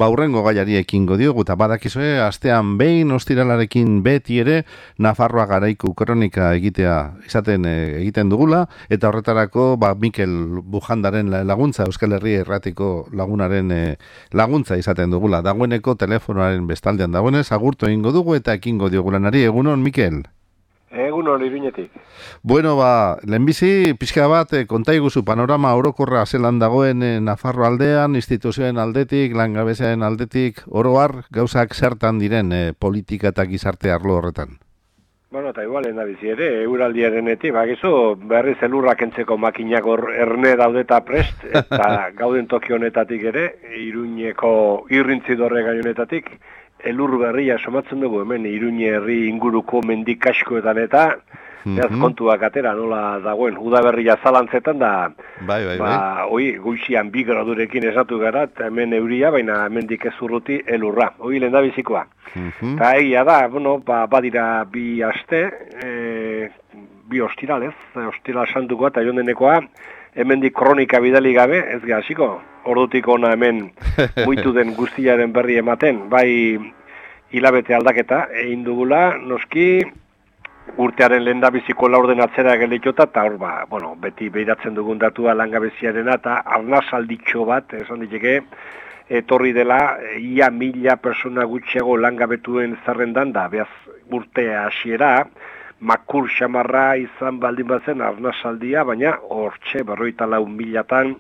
hurrengo gaiari ekingo diogu, eta badakizue, astean behin ostiralarekin beti ere, Nafarroa garaiku kronika egiten dugula, eta horretarako, Mikel Bujandaren laguntza, Euskal Herria Irratiko lagunaren laguntza izaten dugula. Dagoeneko telefonoaren bestaldean dagoenez, agurtu egingo dugu eta ekingo diogu lanari. Egunon, Mikel? Egunon, Iruñetik. Bueno, lehenbizi, pixka bat, konta iguzu panorama orokorra zelan dagoen Nafarro aldean, instituzioen aldetik, langabeziaren aldetik, oroar, gauzak zertan diren politika eta gizarte arlo horretan? Bueno, eta igual, bizi ere, euraldiarenetik, bakizu, berriz elurrak entzeko makinak erne daudeta prest, eta gauden toki honetatik ere, Iruñeko irrintzidorre gaionetatik, elur berria somatzen dugu, hemen Iruñe herri inguruko mendik askoetan eta kontuak atera nola dagoen, udaberria zalantzetan da, goizian 2 gradurekin esatu gara, eta hemen euria, baina hemendik ez urruti elurra, hoi lehen da bizikoa. Eta egia da, badira 2 aste, 2 ostiralez, ostiral santukoa eta jondenekoa, hemendik kronika bidali gabe, ez gaziko, ordutik ona hemen muitu den guztiaren berri ematen, bai hilabete aldaketa egin dugula, noski urtearen lehendabiziko laurden atzera gelditota, eta hor beti behiratzen dugun datua langabeziarena, eta arnasalditxo bat, esan diteke, etorri dela, ia 1000 persona gutxiago langabetuen zerrendan da, behaz urtea hasiera, makur xamarra izan baldin bazen arnasaldia, baina hortxe 54.000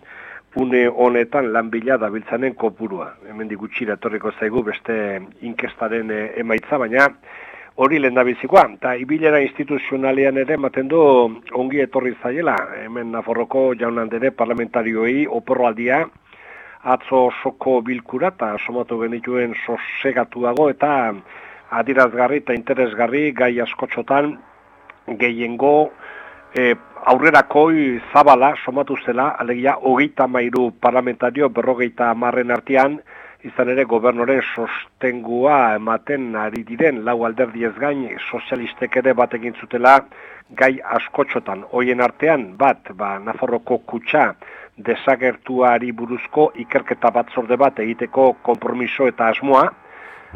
une honetan lan bila dabiltzanen kopurua. Hemendik gutxira etorriko zaigu beste inkestaren emaitza, baina hori lehendabizikoa. Eta ibilera instituzionalean ere ematen du ongi etorri zaiela. Hemen Nafarroko jaun-andere parlamentarioei oporraldia atzo osoko bilkura eta somatu genituen sosegatuago eta adierazgarri eta interesgarri gai askotxotan gehiengo aurrerakoi zabala somatu zela, alegia 33 parlamentario 50 artean, izan ere gobernoren sostengua ematen ari diren lau alderdiez gain sozialistek ere bat egin zutela gai askotxotan. Hoien artean Nafarroko kutxa desagertuari buruzko ikerketa batzorde bat egiteko konpromiso eta asmoa,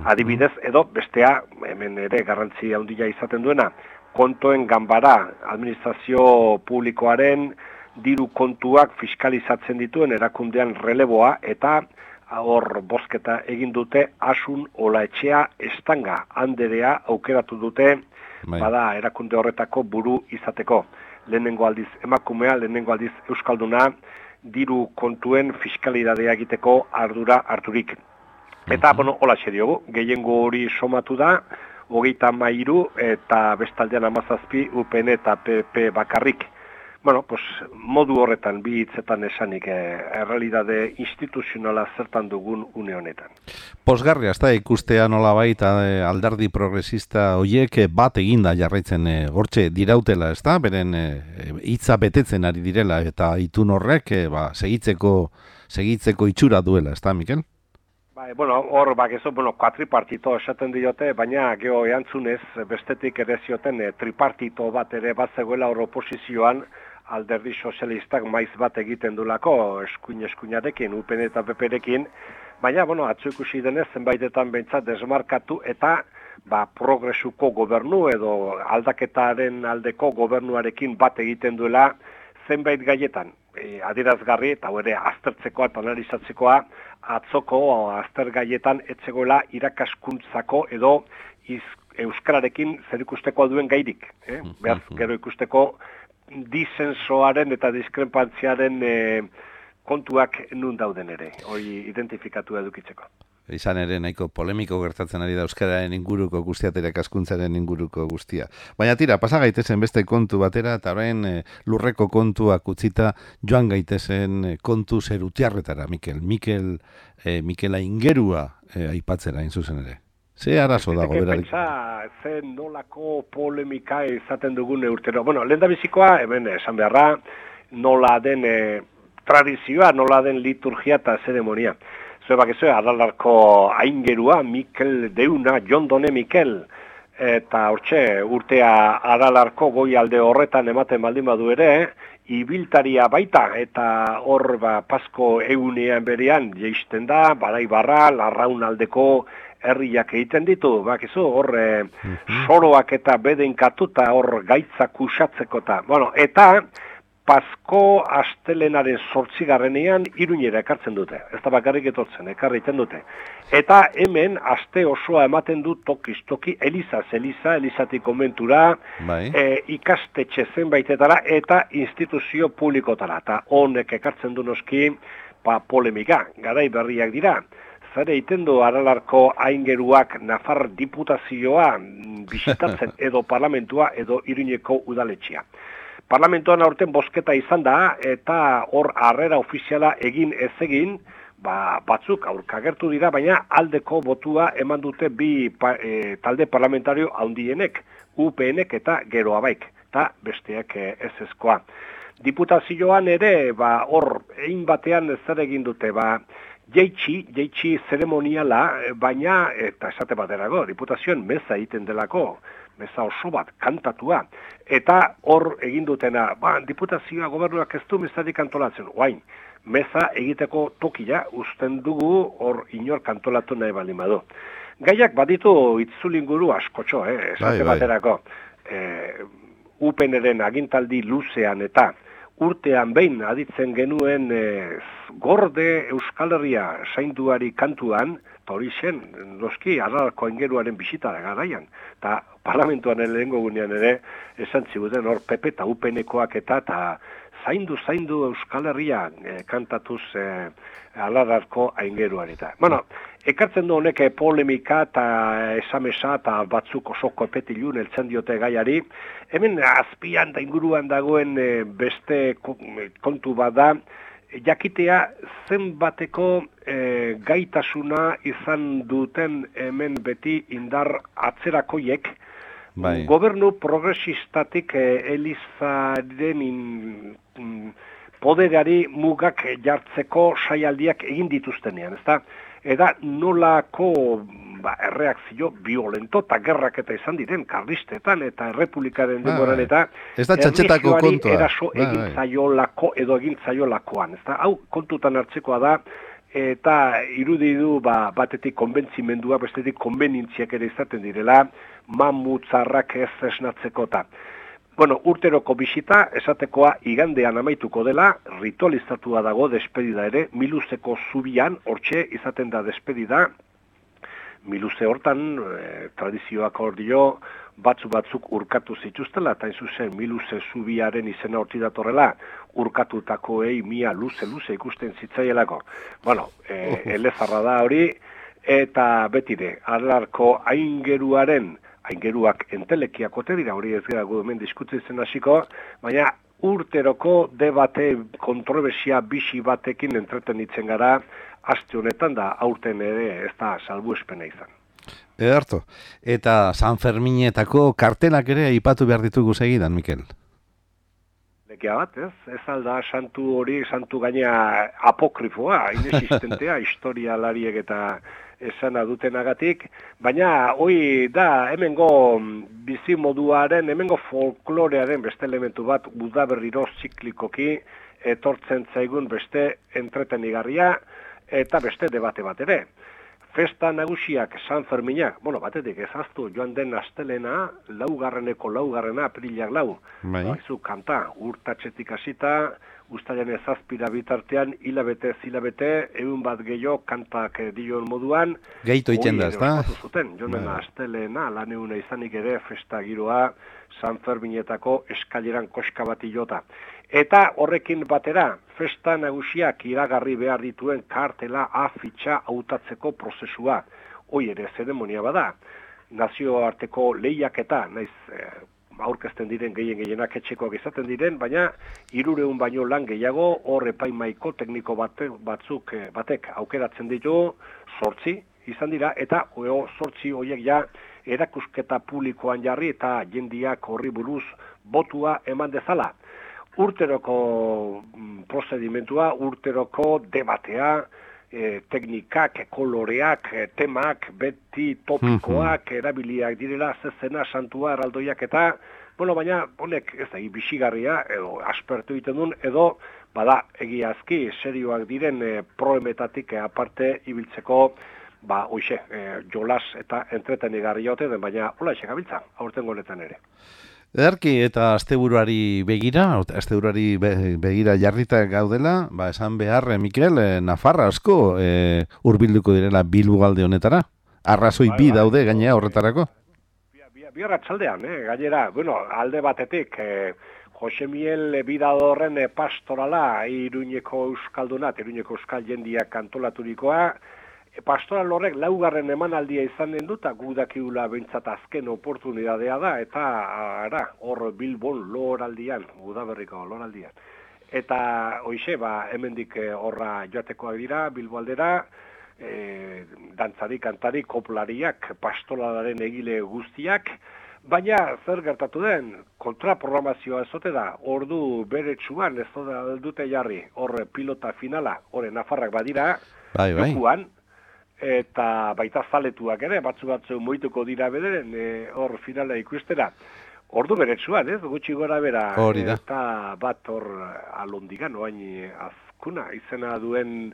adibidez edo bestea, hemen ere garrantzi handia izaten duena, kontoen ganbara, administrazio publikoaren diru kontuak fiskalizatzen dituen erakundean releboa eta hor bozketa egin dute Asun Olaetxea Estanga anderea aukeratu dute erakunde horretako buru izateko. Lehenengo aldiz emakumea, lehenengo aldiz euskalduna, diru kontuen fiskalidadea egiteko ardura harturik. Eta, holaxe diogu, gehiengo hori somatu da, 33 eta bestaldean 17 UPN eta PP bakarrik. Modu horretan bi hitzetan esanik errealidade instituzionala zertan dugun une honetan. Pozgarria, ez da ikustea nolabait alderdi progresista horiek bat eginda jarraitzen hortxe dirautela, ez da? Beren hitza betetzen ari direla eta itun horrek segitzeko itxura duela, ez da, Mikel? Hor kuatripartito esaten diote, baina geho eantzunez bestetik ere zioten tripartito bat ere bat zegoela hor oposizioan alderdi sozialistak maiz bat egiten dulako eskuinarekin, UPN eta PPrekin, baina atzo ikusi denez zenbaitetan behintzat desmarkatu eta progresuko gobernu edo aldaketaren aldeko gobernuarekin bat egiten duela zenbait gaietan. Adierazgarri eta ere aztertzekoa eta analizatzekoa atzoko aztergaietan etzegoela irakaskuntzako edo euskararekin zer ikusteko duen gairik. Behaz, gero ikusteko disensoaren eta diskrepantziaren kontuak nun dauden ere, hori identifikatu edukitzeko. Izan ere nahiko polemiko gertatzen ari da euskararen inguruko guztia eta irakaskuntzaren inguruko guztia. Baina tira, pasa gaitezen beste kontu batera eta orain lurreko kontuak utzita joan gaitezen kontu zerutiarretara, Mikela Ingerua aipatzera zuzen ere. Ze arazo dago berarik? Zen nolako polemika izaten dugun urtero. Lehendabizikoa, hemen esan beharra, nola den tradizioa, nola den liturgia eta zeremonia. Adalarko aingerua, Mikel Deuna, Jondone Mikel, eta hortxe urtea Adalarko goi alde horretan ematen baldin badu ere, ibiltaria baita, eta hor Pasko egunean berean jeisten da, Badaibarra, Larraunaldeko herriak egiten ditu, bakizu, hor soroak eta bedenkatuta hor gaitzak usatzeko eta, eta Pasko astelenaren 8. Iruñera ekartzen dute. Ez da bakarrik etortzen, ekarriten dute. Eta hemen aste osoa ematen du tokiz toki, elizatik konbentura, ikastetxe zenbaitetara eta instituzio publikotara. Eta honek ekartzen du noski polemika, garai berriak dira. Zare egiten du Aralarko aingeruak Nafar diputazioa bisitatzen edo parlamentua edo Iruñeko udaletxea. Parlamentoan aurten bozketa izan da, eta hor harrera ofiziala egin ez egin, batzuk aurkagertu dira, baina aldeko botua eman dute bi talde parlamentario handienek, UPNek eta Geroa Baik, eta besteak ezezkoa. Diputazioan ere, hor egin batean zer egin dute, jeitsi zeremoniala, baina, eta esate baterago, diputazioan meza egiten delako, meza oso bat, kantatua, eta hor egin dutena, diputazioa gobernuak ez du mezarik antolatzen, oain, meza egiteko tokia usten dugu hor inor kantolatu nahi baldin badu. Gaiak baditu itzulinguru askotxo, esate baterako, UPNren agintaldi luzean eta urtean behin aditzen genuen gorde Euskal Herria zainduari kantuan, eta hori zen, noski, Aralarko aingeruaren bisita da garaian. Eta parlamentuan lehengo gunean ere, esan ziguten hor PP eta UPNkoak eta zaindu Euskal Herria kantatuz Aralarko aingeruan eta. Ekartzen du honek polemika eta esamesa eta batzuk oso kopetilun eltzen diote gaiari. Hemen azpian da inguruan dagoen beste kontu bat da, jakitea zenbateko gaitasuna izan duten hemen beti indar atzerakoiek, gobernu progresistatik Elizaren poderari mugak jartzeko saialdiak egin dituztenean, ezta? Eta nolako erreakzio violento eta gerrak eta izan diren karlistetan eta errepublikaren denboran eta ez da txantxetako kontua. Eraso egin zaiolako edo egin zaiolakoan, ezta? Hau kontutan hartzekoa da, eta irudi du batetik konbentzimendua, bestetik konbenintziak ere izaten direla, mamutzarrak ez esnatzeko eta. Urteroko bisita, esatekoa igandean amaituko dela, ritualizatua dago despedida ere, Miluzeko zubian, hortxe izaten da despedida, Miluze hortan, tradizioak hor dio, batzuk urkatu zituztela, eta zuzen Miluze zubiaren izena horti datorrela, urkatutakoei mia luze ikusten zitzaielako. Elezarra da hori, eta betire, Aralarko aingeruak entelekiak ote dira, hori ez gara hemen diskutitzen hasiko, baina urteroko debate kontrobersia bisi batekin entretenitzen gara, aste honetan da aurten ere ez da salbuespena izan. Ederto. Eta San Ferminetako kartelak ere aipatu behar ditugu segidan, Mikel? Lekia bat, ez? Ez alda santu hori, santu gaina apokrifoa, inexistentea, historialariek eta esana dutenagatik, baina hoi da hemengo bizimoduaren, hemengo folklorearen beste elementu bat udaberriro ziklikoki etortzen zaigun beste entretenigarria eta beste debate bat ere. Festa nagusiak San Ferminak, batetik ezaztu joan den astelena, laugarrena, aprilak 4. Baizu kanta, urtatxetik hasita, ustaiaren 7 bitartean, hilabete, egun bat gehiago kantak dion moduan. Gehito iten da, ez da? Joan den astelena, lan eguna izanik ere, festa giroa, San Ferminetako eskaileran koska bat jota. Eta horrekin batera, festa nagusiak iragarri behar dituen kartela afitxa hautatzeko prozesua. Hoi ere zeremonia bada. Nazioarteko lehiaketa, naiz aurkezten diren gehienak etxekoak izaten diren, baina 300 baino lan gehiago hor epaimaiko tekniko batek aukeratzen ditu 8 izan dira, eta 8 horiek ja erakusketa publikoan jarri eta jendiak horri buruz botua eman dezala. Urteroko prozedimentua, urteroko debatea, teknikak, koloreak, temak, beti topikoak erabiliak direla, zezena, santua, eraldoiak eta, bueno, baina honek ez da bisigarria, edo aspertu egiten duen, edo bada egiazki serioak diren proemetatik aparte ibiltzeko, hoxe, jolas eta entretenigarri jote den, baina hola esek gabiltza, aurten honetan ere. Ederki eta asteburuari begira jarrita gaudela, esan behar, Mikel, Nafarra asko hurbilduko direla Bilbogalde honetara. Arrazoi bi daude gainea horretarako. Bi arratsaldean, gainera, bueno, alde batetik, Jose Miel Bidadorren pastorala Iruñeko euskaldunat, Iruñeko euskal jendiak antolaturikoa, pastoral horrek laugarren emanaldia izan den dut, gu dakiula behintzat azken oportunidadea da, eta hor Bilbon loraldian, Udaberriko loraldian. Eta hoixe, hemendik horra joatekoak dira, Bilbo aldera, dantzari, kantari, koplariak, pastoralaren egile guztiak, baina zer gertatu den, kontraprogramazioa ezote da, ordu beretsuan ez dute jarri, hor pilota finala, hor Nafarrak badira, jokuan, eta baita zaletuak ere, batzu moituko dira bederen, hor finala ikustera. Ordu beretsuan, gutxi gora bera, eta bat hor alondigan, oain azkuna, izena duen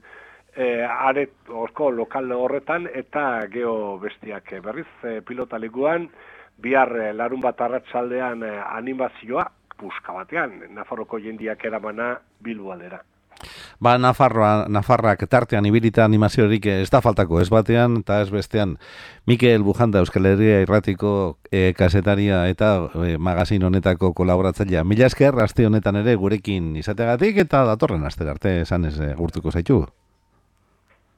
orko lokal horretan, eta geho bestiak berriz pilotalekuan, bihar larun bat arratsaldean animazioa, puska batean, Nafarroko jendiak eramana Bilbo aldera. Nafarrak tartean ibilita animaziorik ez da faltako, ez batean eta ez bestean. Mikel Bujanda, Euskal Herria Irratiko kasetaria eta magazin honetako kolaboratzailea. Mila esker, aste honetan ere gurekin izateagatik eta datorren astera arte esan ez gurtuko zaitu.